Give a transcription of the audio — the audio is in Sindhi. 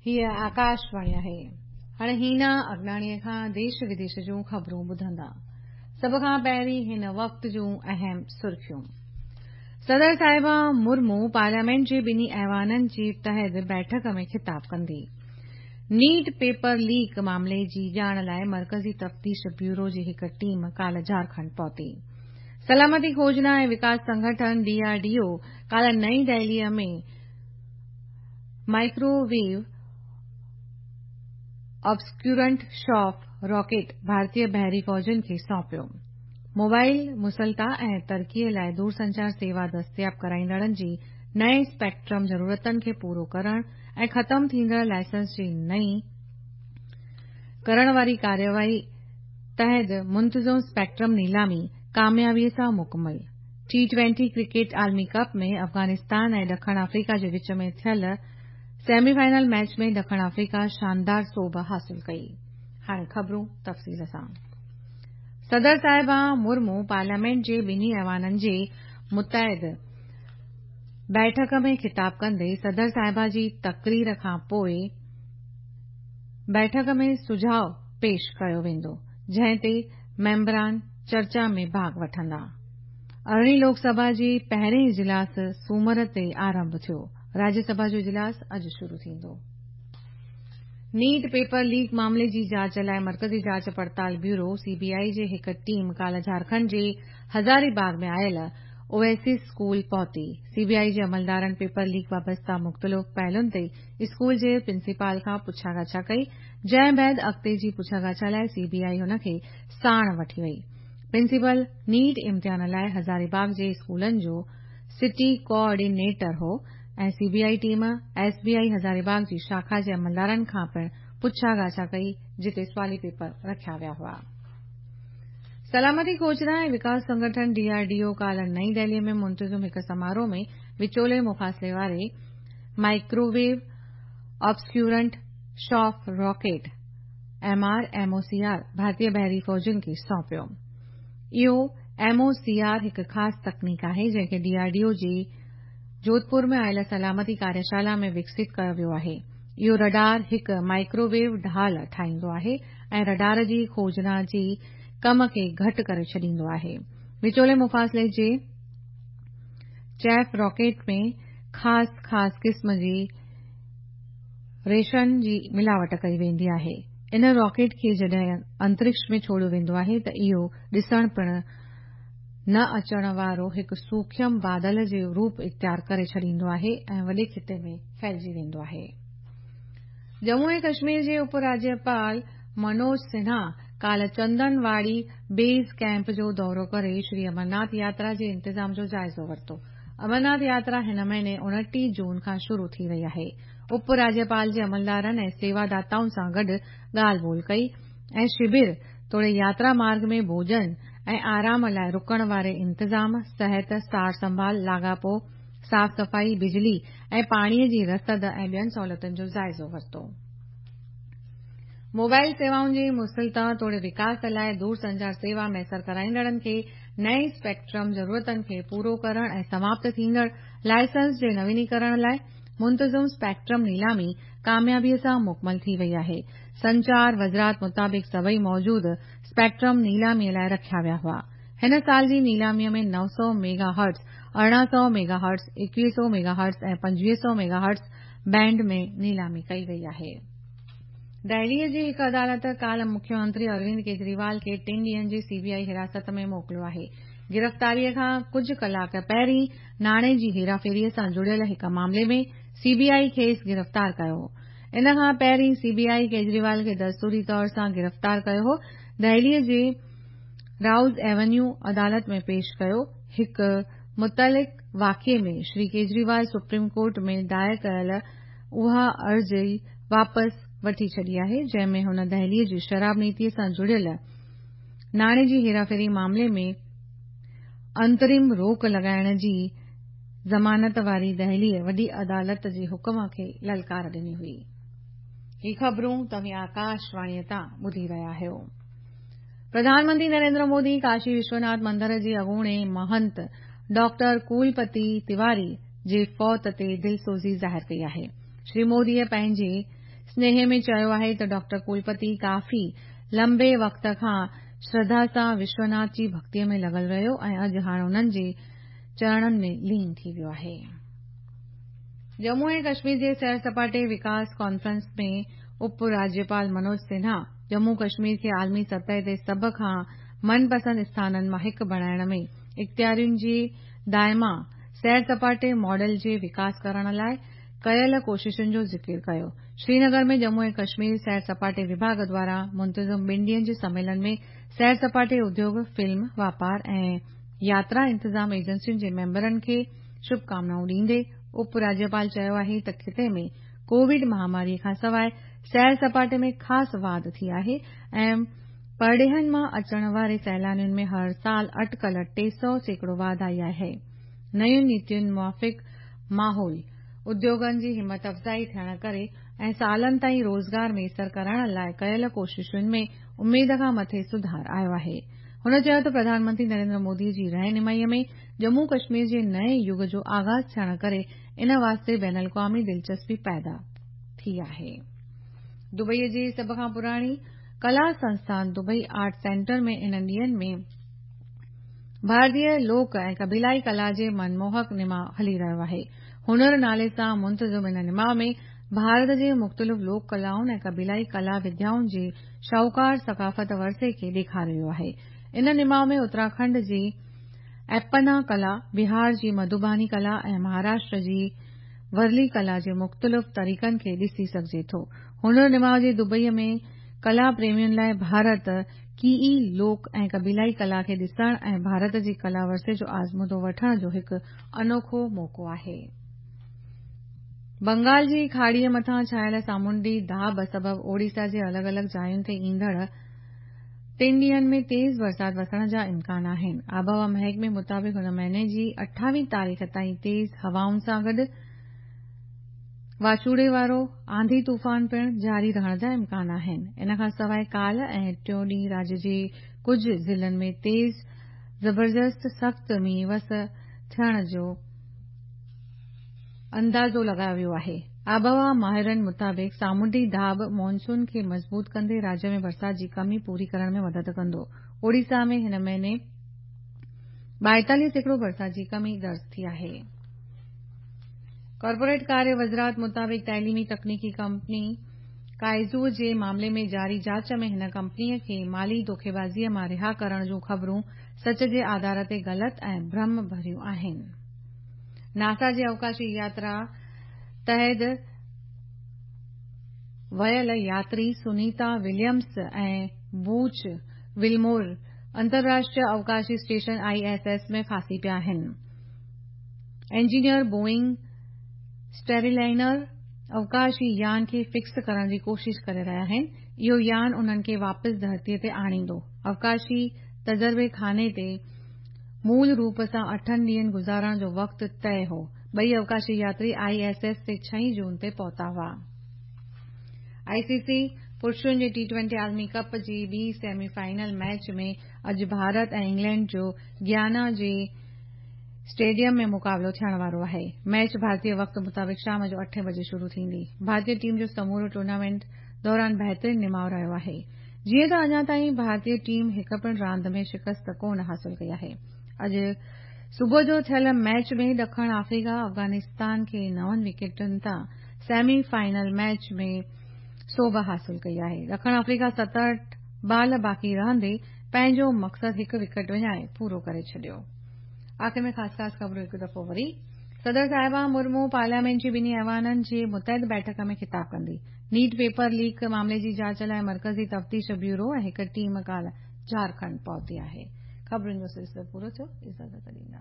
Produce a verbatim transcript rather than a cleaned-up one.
هيء آڪاشواڻي آهي. هاڻي هينا اگناڻيء کان ديش وديش جون خبرون ٻڌندا. سڀ کان پهرين هن وقت جون اهم سرخيون. صدر صاحبه مرمو پارليامينٽ جي ٻنهي ايوانن جي تحت بيٺڪ ۾ خطاب ڪندي. نيٽ پيپر ليڪ معاملي جي ڄاڻ لاءِ مرڪزي تفتيش بيورو جي هڪ ٽيم ڪالهه جهارکنڊ پهتي. سلامتي کوجنا ۽ وڪاس سنگٺن ڊي آر ڊي او ڪالهه نئين دهليء ۾ مائڪروويو آبسڪيورنٽ شاف راڪيٽ ڀارتي بحري فوجن کي سونپيو. موبائل مسلتا ۽ ترقيءَ لاءِ دورسنچار سيوا دستياب ڪرائيندڙن جي نئين اسپيڪٽرم ضرورتن کي پورو ڪرڻ ۽ ختم ٿيندڙ لائسنس جي نئين ڪرڻ واري ڪارروائي تحت منتظم اسپيڪٽرم نيلامي ڪاميابيءَ سان مڪمل. ٽي ٽوئنٽي ڪرڪيٽ عالمي ڪپ ۾ افغانستان ۽ ڏکڻ آفريڪا جي وچ ۾ ٿيل سيمي فائنل ميچ ۾ ڏکڻ آفريڪا شاندار سوڀ حاصل ڪئي. هاڻي خبرون تفصيل سان. صدر صاحبه مرمو پارليامينٽ جي ٻنهي ايوانن جي متعد بيٺڪ ۾ خطاب ڪندي. صدر صاحبه جي تقرير کان پوءِ بيٺڪ ۾ سجهاءُ پيش ڪيو ويندو، جنهن تي ميمبران چرچا ۾ ڀاڳ وٺندا. ارڙهين لوڪ سڀا جي پهرين اجلاس سومر تي آرنڀ ٿيو. راجيه سڀا جو اجلاس اڄ شروع ٿيندو. نيٽ پيپر ليڪ معاملي جي جاچ لاءِ مرڪزي جاچ پڙتال بيورو سي بي آءِ جي هڪ ٽيم ڪالهه جهارکنڊ جي هزاري باغ ۾ آيل اوئيسس اسڪول پهتي. سي بي آءِ جي عملدارن پيپر ليڪ وابسته مختلف پهلن تي اسڪول جي پرنسپال کان پڇا ڳاڇا ڪئي، جنهن بعد اڳتي جي پڇا ڳاڇا لاءِ سي بي آءِ هن کي ساڻ وٺي وئي. پرنسپال نيٽ امتحان لاءِ هزاري باغ جي اسڪولن جو سٽي ڪوآرڊينيٽر هو ۽ C B I team S B I Hazari باغ جي شاخا جي عملدارن کان پڻ پڇا ڳاڇا ڪئي، جتي سوالي پيپر رکيا ويا هئا. سلامتي کوجنا ۽ وڪاس سنگٺن ڊي آر ڊي او ڪالهه نئين دهليءَ ۾ منتظم هڪ سماروهه ۾ وچولي مفاصلي واري microwave آبسڪيورنٽ شاف rocket M R M O C R ڀارتي بحري فوجن کي سونپيو. اهو ايم او سي آر هڪ خاص تڪنيڪ آهي، جنهن کي ڊي آر ڊي او جي جوڌپور ۾ آيل سلامتي ڪاريشالا ۾ وڪست ڪيو ويو آهي. اهو رڊار هڪ مائڪروويو ڍال ٺاهيندو آهي ۽ رڊار جي کوجنا جي ڪم کي گهٽ ڪري ڇڏيندو آهي. وچولي مفاصلي جي چيف راڪيٽ ۾ خاص خاص قسم جي ريشن جي ملاوٽ ڪئي ويندي آهي. ان راڪيٽ کي جڏهن انترڪش ۾ ڇوڙيو ويندو آهي ته اهو ڏسڻ پڻ نه اچڻ وارو هڪ سوکيم بادل جو روپ اختيار ڪري ڇڏيندو آهي ۽ وڏي خطي ۾ ڦهلجي ويندو آهي. ڄمون ۽ ڪشمير جي اپ راجيپال منوج سنها ڪالهه چندنواڙي بيس ڪيمپ جو دورو ڪري شري امرناٿ ياترا جي انتظام جو جائزو ورتو. امرناٿ ياترا هن مهيني اڻٽيهه جون کان شروع ٿي رهي آهي. اپ راجيپال جي عملدارن ۽ سيواداتائن سان گڏ ڳالهه ٻولهه ڪئي ۽ شبر توڙي ياترا مارگ ۾ ڀوڄن ۽ آرام لاءِ رڪڻ واري انتظام، صحت، سار سنڀال، لاڳاپو، صاف صفائي، بجلي ۽ پاڻيءَ جي رسد ۽ ٻين سهولتن جو جائزو ورتو. موبائل سيوائن جي مسلتا توڙي وڪاس لاءِ دورسنچار سيوا ميسر ڪرائيندڙن کي نئين اسپيڪٽرم ضرورتن کي پورو ڪرڻ ۽ سماپت ٿيندڙ لائسنس جي نوينيڪرڻ لاءِ منتظم اسپيڪٽرم نيلامي ڪاميابيءَ سان مڪمل ٿي وئي آهي. سنچار وزارت مطابق سڀئي موجود اسپيڪٽرم نيلاميءَ لاءِ رکيا ويا هئا. هن سال جي نيلاميءَ ۾ نو سؤ ميگا هرٽز، ارڙهن سؤ ميگا هرٽز، ايڪويهه سؤ ميگا هرٽز ۽ پنجويهه سؤ ميگا هرٽز بينڊ ۾ نيلامي ڪئي وئي آهي. دهليءَ جي هڪ عدالت ڪالهه مکيه منتري اروند ڪيجريوال کي ٽن ڏينهن جي سي بي آءِ حراست ۾ موڪليو آهي. گرفتاريءَ کان ڪجهه ڪلاڪ پهرين ناڻي جي هيراڦيريءَ سان جڙيل هڪ معاملي ۾ سي بي آءِ کيس گرفتار ڪيو هو. ان کان پهرين سي بي آءِ ڪيجريوال کي دستوري طور سان گرفتار ڪيو هو. دهليءَ جي رائوز ايونيو عدالت ۾ پيش ڪيو. هڪ متعلق واقعي ۾ شري ڪيجريوال سپريم ڪورٽ ۾ دائر ڪيل اها عرضي واپس وٺي ڇڏي آهي، جنهن ۾ هن دهليءَ جي شراب نيتيءَ سان جڙيل ناڻي جي هيراڦيري معاملي ۾ انترم روڪ لڳائڻ جي ضمانت واري دهليءَ وڏي عدالت جي حڪم کي للڪار ڏني هئي. هي خبرون توهين آڪاشواڻيءَ تان ٻڌي رهيا آهيو. پرڌان منتري نريندر مودي ڪاشي وشوناٿ مندر جي اڳوڻي مهنت ڊاڪٽر ڪولپتي تيواري جي فوت تي دلسوزي ظاهر ڪئي آهي. شري موديءَ پنهنجي سنيهي ۾ چيو آهي ته ڊاڪٽر ڪلپتي ڪافي لمبي وقت کان شرڌا سان وشوناٿ جي ڀڳتيء ۾ لڳل رهيو ۽ اڄ هاڻ انهن جي چرڻن ۾ لين ٿي ويو آهي. ڄمون ۽ ڪشمير جي سير سپاٽي وڪاس ڪانفرنس ۾ اپ راجيپال منوج سنها ڄمون ڪشمير کي عالمي سطح تي سڀ کان من پسند اسٿانن مان هڪ بڻائڻ ۾ اختيارين جي دائما سير سپاٽي ماڊل جي وڪاس ڪرڻ لاءِ ڪيل ڪوششن جو ذڪر ڪيو. شرينگر ۾ ڄمون ۽ ڪشمير سير سپاٽي وڀاڳ دواران منتظم ٻن ڏينهن جي سميلن ۾ سير سپاٽي اديوگ، فلم، واپار ۽ ياترا انتظام ايجنسين جي ميمبرن کي شڀڪامنائون ڏيندي اپ راجيپال چيو آهي ته خطي ۾ ڪووڊ مهاماريءَ کان سواءِ سير سپاٽي ۾ خاص واڌ ٿي آهي ۽ پرڏيهن مان اچڻ واري سيلانين ۾ هر سال اٽڪل ٽي سؤ سيڪڙو واڌ آئي آهي. نين نيتين موافق ماحول، اديوگن جي همت افزائي ٿيڻ ڪري ۽ سالن تائين روزگار ميسر ڪرڻ لاءِ ڪيل ڪوششن ۾ اميد کان مٿي سڌار آيو آهي. هن چيو ته پرڌان منتري نريندر مودي جي رهنمائيءَ ۾ ڄمون ڪشمير جي نئين يگ جو آغاز ٿيڻ ڪري ان واسطي بين الاقوامي دلچسپي پيدا ٿي آهي. دبئيءَ جي سڀ کان پراڻي ڪلا سنسٿان دبئي آرٽ سينٽر ۾ انهن ڏينهن ۾ ڀارتيه لوڪ ۽ قبيلائي ڪلا جي منموهڪ نماءُ هلي رهيو آهي. هنر نالي سان منتظم ان نماءُ ۾ ڀارت جي مختلف لوڪ ڪلائن ۽ قبيلائي ڪلا وديائن جي شاهوڪار ثقافت ورثي کي ڏيکاريو ويو آهي. ان نماءُ ۾ اتراکنڊ جي ايپنا ڪلا، بهار جي مڌوباني ڪلا ۽ مهاراشٽر جي ورلي ڪلا جي مختلف طريقن کي ڏسي سگهجي ٿو. هنر نماءُ جي دبئيءَ ۾ ڪلا پريمين لاءِ ڀارت ڪيئي لوڪ ۽ قبيلائي ڪلا کي ڏسڻ ۽ ڀارت جي ڪلا ورثي جو آزمودو وٺڻ جو هڪ انوکو موقعو آهي. بنگال جي کاڙيءَ مٿان ڇانيل سامونڊي داٻ سبب اوڙيسا جي الڳ الڳ جاين تي ايندڙ ٽن ڏينهن ۾ تيز برسات وسڻ جا امڪان آهن. آبهوا محڪمي مطابق هن مهيني جي اٺاويهه تاريخ تائين تيز هوائن سان گڏ واچوڙي وارو آنڌي طوفان پڻ جاري رهڻ جا امڪان آهن. ان کان سواءِ ڪالهه ۽ ٽيون ڏينهن راجيه جي ڪجهه ضلعن ۾ تيز زبردست سخت مينهن وس ٿيڻ جو اندازو لڳايو ويو آهي. آبهوا ماهرن مطابق سامونڊي داٻ مانسون کي مضبوط ڪندي راجيه ۾ برسات جي ڪمي پوري ڪرڻ ۾ مدد ڪندو. اوڙيسا ۾ هن مهيني ٻائيتاليهه سيڪڙو برسات جي ڪمي درج ٿي آهي. ڪارپوريٽ ڪاريه وزارت مطابق تعليمي تڪنيڪي ڪمپني ڪائزو جي معاملي ۾ جاري جاچ ۾ هن ڪمپنيءَ کي مالي دوکيبازيءَ مان رها ڪرڻ جون خبرون سچ جي آڌار تي غلط ۽ ڀرم ڀريون آهن. ناسا جي اوڪاشي ياترا تحت ويل ياتري سنيتا وليمز ۽ بوچ ولمور انترراشٽريه اوڪاشي اسٽيشن I S S ۾ ڦاسي پيا آهن. انجنيئر بوئنگ اسٽيرلائنر اوڪاشي يان کي فڪس ڪرڻ جي ڪوشش ڪري رهيا آهن. اهو يان انهن کي واپس ڌرتيءَ تي آڻيندو. اوڪاشي تجربي خاني تي مول روپ سان اٺن ڏينهن گذارڻ جو وقت طئي هو. ٻئي اوڪاشي ياتري I S S تي ڇهين جون تي پهتا هئا. آئي سي سي پرشن جي ٽي ٽوئنٽي عالمي ڪپ جي ٻي سيمي فائنل ميچ ۾ اڄ ڀارت ۽ انگلينڊ جو گيانا جي اسٽيڊيم ۾ مقابلو ٿيڻ وارو آهي. ميچ ڀارتيه وقت مطابق شام جو اٺين بجي شروع ٿيندي. ڀارتيه ٽيم جو سمورو ٽورنامينٽ دوران بهترين نماءُ رهيو آهي. جيئن ته اڃا تائين ڀارتيه ٽيم هڪ پڻ راند ۾ شڪست ڪونه حاصل ڪئي آهي. اڄ صبح جو ٿيل ميچ ۾ ڏکڻ آفريڪا افغانستان کي نون وڪيٽن تان سيمي فائنل ميچ ۾ سوڀ حاصل ڪئي آهي. ڏکڻ آفريڪا ستهٺ بال باقي رهندي پنهنجو مقصد هڪ وڪيٽ وڃائي پورو ڪري ڇڏيو. آخر ۾ خاص خاص خبرون هڪ دفعو وري. صدر صاحبه مرمو پارليامينٽ جي ٻنهي ايوانن جي متحد بيٺڪ ۾ خطاب ڪندي. نيٽ پيپر ليڪ معاملي جي جاچ لاءِ مرڪزي تفتيش بيورو ۽ هڪ ٽيم ڪالهه جهارکنڊ پهتي آهي. خبرن جو سلسلو پورو ٿيو. اجازت ڏيندا.